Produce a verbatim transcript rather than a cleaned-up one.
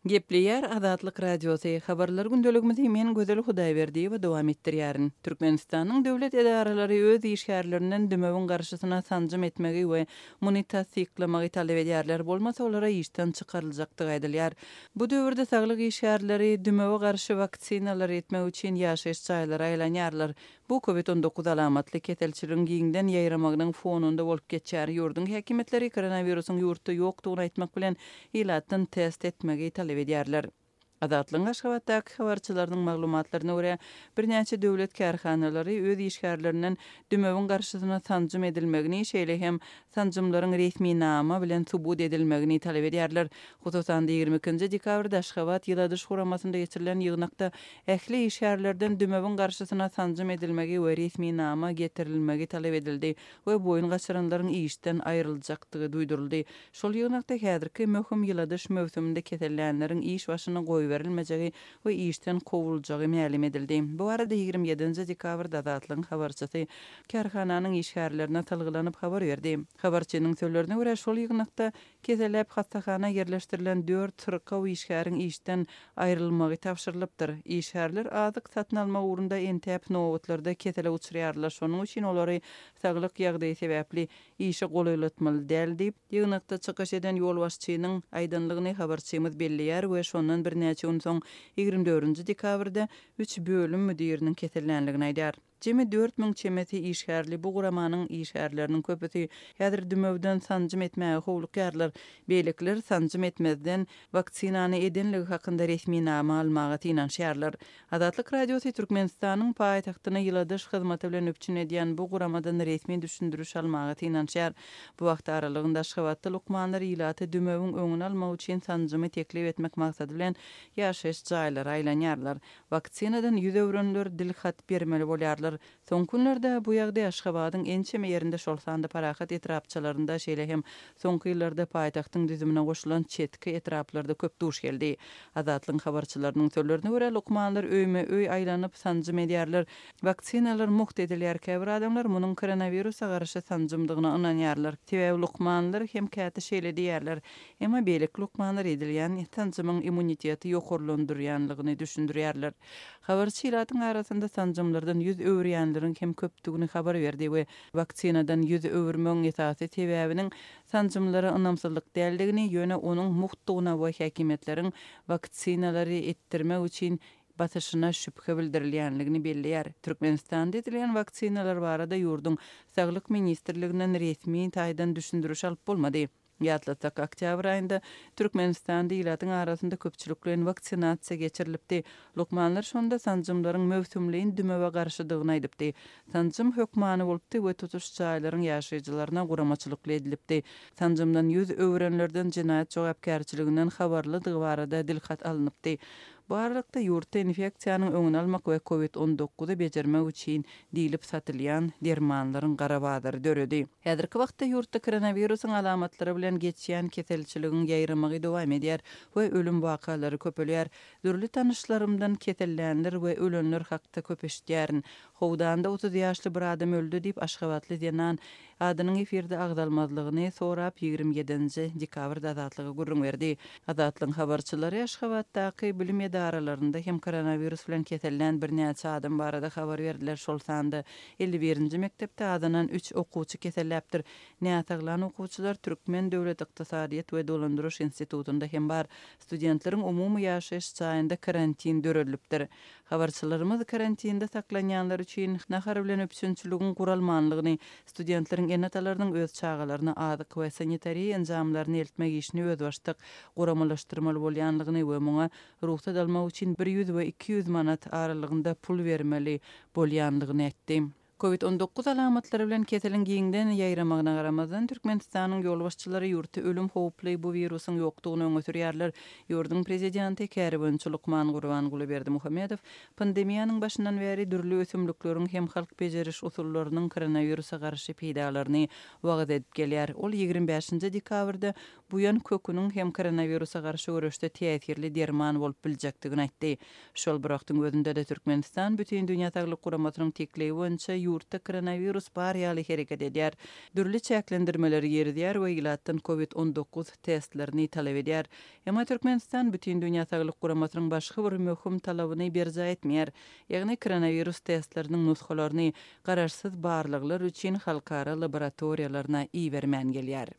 Gepleýär Azatlyk Radiosy, Habarlar gündeligimizi men Gözel Hudaýberdiýewa dowam etdirýärin. Türkmenistanyň döwlet edaralary öz işgärlerinden dümewiň garşysyna sanjym etmegi we muny tassyklamagy talap edýärler, bolmasa olara işden çykaryljakdygy aýdylýar. Bu döwürde saglyk işgärleri dümewe garşy waksinalary etmek üçin ýaşaýyş jaýlara aýlanýarlar. Bu Covid on dokuz alamatly keselçiligiň giňden ýaýramagynyň fonunda bolup geçýär. Ýurduň häkimiýetleri koronawirusyň ýurtda ýokdugyny aýtmak bilen ilatdan test etmegi talap edýärler. Azatlygyň Aşgabatdaky habarçylarynyň maglumatlaryna görä, birnäçe döwlet kärhanalary öz işgärlerinden dümewiň garşysyna sanjym edilmegini, şeýle hem sanjymlaryň resminama bilen subut edilmegini talap edýärler. Hususan-da ýigrimi ikinji dekabrda Aşgabat ýyladyş guramasynda geçirilen ýygnakda ähli işgärlerden dümewiň garşysyna sanjym edilmegi we resminama getirilmegi talap edildi we boýun gaçyranlaryň işden aýryljakdygy duýduryldy. Şol ýygnakda häzirki möhüm ýyladyş möwsüminde kesellänleriň iş başyna goýberilmejegi we işden kowuljagy mälim edildi. Bu arada ýigrimi ýedinji dekabrda Azatlygyň habarçysy kärhananyň işgärlerine salgylanyp habar berdi. Habarçynyň sözlerine görä, şol ýygnakda keselläp hassahana ýerleşdirilen dört syrkaw işgäriň işden aýrylmagy tabşyrylypdyr. Işgärler azyk satyn almak ugrunda entäp nobatlarda kesele uçraýarlar. Şonuň üçin olary saglyk ýagdaýy sebäpli işe golaýlatmaly däl diýip, ýygnakda çykyş eden ýolbaşçynyň aýdanlygyny habarçymyz belleýär we şondan birnäçe gün soň ýigrimi dördünji dekabrda üç bölüm müdiriniň kesellänligini aýdar. Jemi dört müň çemesi işgärli bu guramanyň işgärleriniň köpüsi häzir dümewden sanjym etmäge howlukýarlar. Beýlekiler sanjym etmezden waksinany edenligi hakynda resminama almaga synanyşýarlar. Azatlyk Radiosy Türkmenistanyň paýtagtyny ýyladyş hyzmaty bilen üpjün edýän bu guramadan resmi düşündiriş almaga synanyşýar. Bu wagt aralygynda Aşgabatda lukmanlar ilaty dümewiň öňüni almak üçin sanjymy teklip etmek maksady bilen ýaşaýyş jaýlara aýlanýarlar. Waksinadan ýüz öwrenler dil hat bermeli bolýarlar. Soňky günlerde bu ýagdaý Aşgabadyň ençeme ýerinde, şol sanda Parahat etrapçalarynda, şeýle hem soňky ýyllarda paýtagtyň düzümine goşulan çetki etraplarda köp duş geldi. Azatlygyň habarçylarynyň sözlerine görä, lukmanlar öýme öý aýlanyp sanjym edýärler. Waksinalar mugt edilýär. Käbir adamlar munuň koronawirusa garşy sanjymdygyna ynanýarlar. Sebäbi lukmanlar hem käte şeýle diýýärler. Emma beýleki lukmanlar edilýän sanjymyň immuniteti ýokarlandyrýanlygyny düşündirýärler. Habarçy ilatyň arasynda sanjymlardan ýüz öwürýänleriň hem köpdügini habar berdi we waksinadan ýüz öwürmegiň esasy sebäbiniň sanjymlara ynamsyzlyk däldigini, ýöne onuň muhtdugyna we häkimiýetleriň waksinalary etdirmek üçin basyşyna şübhe bildirilýänligini belleýär. Türkmenistanda edilýän waksinalar barada ýurduň Saglyk ministrliginden resmi taýdan düşündiriş alyp bolmady. Ýatlatsak, oktýabr aýynda Türkmenistanda ilatyň arasynda köpçülikleýin waksinasiýa geçirilipdi. Lukmanlar şonda sanjymlaryň möwsümleýin dümewe garşydygyny aýdypdy. Sanjym hökmany bolupdy we tutuş jaýlaryň ýaşaýjylaryna guramaçylykly edilipdi. Sanjymdan ýüz öwrenlerden jenaýat jogapkärçiliginden habarlydygy barada dilhat alnypdy. Bu aralykda ýurtda infeksiýanyň öňüni almak we Covid on dokuzy bejermek üçin diýlip satylýan dermanlaryň gara bazary döredi. Häzirki wagtda ýurtda koronawirusyň alamatlary bilen geçýän keselçiligiň ýaýramagy dowam edýär we ölüm wakalary köpelýär. Dürli tanyşlarymdan kesellänler we ölenler hakda köp eşitýärin. Howdanda otuz ýaşly bir adam öldü diýip Aşgabatly zenan adynyň efirde agzalmazlygyny sorap ýigrimi ýedinji dekabrda Azatlyga gürrüň berdi. Azatlygyň habarçylary Aşgabatdaky bilim edaralarynda hem koronawirus bilen kesellän birnäçe adam barada habar berdiler. Şol sanda elli birinji mekdepde azanan üç okuwçy keselläpdir. Näsaglan okuwçylar Türkmen Döwlet Ykdysadyýet we Dolandyryş institutynda hem bar. Studentleriň umumy ýaşaýyş jaýynda karantin döredilipdir. Habarçylarymyz karantinde saklanýanlar üçin nahar bilen üpjünçiligiň guralmanlygyny, studentleriň ene-atalarynyň öz çagalaryna azyk we sanitariýa enjamlaryny eltmek işini özbaşdak guramalaşdyrmaly bolýanlygyny we muňa rugsat almak üçin bir ýüz we iki ýüz manat aralygynda pul bermeli bolýanlygyny aýtdy. Covid on dokuz alamatlary bilen keseliň giňden ýaýramagyna garamazdan Türkmenistanyň ýolbaşçylary ýurtda ölüm howply bu wirusyň ýokdugyny öňe sürýärler. Ýurduň prezidenti käriboýunça lukman Gurbanguly Berdimuhamedow pandemiýanyň başyndan bäri dürli ösümlikleriň hem halk bejeriş usullarynyň koronawirusa garşy peýdalaryny wagyz edip gelýär. Ol ýigrimi bäşinji dekabrda buýan köküniň hem koronawirusa garşy göreşde täsirli derman bolup biljekdigini aýtdy. Şol bir wagtyň özünde-de Türkmenistan Bütindünýä Saglyk Guramasynyň teklibi boýunça ýurtda koronawirus bar ýaly hereket edýär. Dürli çäklendirmeleri girizýär we ilatdan Covid on dokuz testlerini talap edýär. Emma Türkmenistan Bütindünýä Saglyk Guramasynyň başga bir möhüm talabyny berjaý etmeýär. Ýagny koronawirus testleriniň nusgalaryny garaşsyz barlaglar üçin halkara laboratoriýalaryna ibermän gelýär.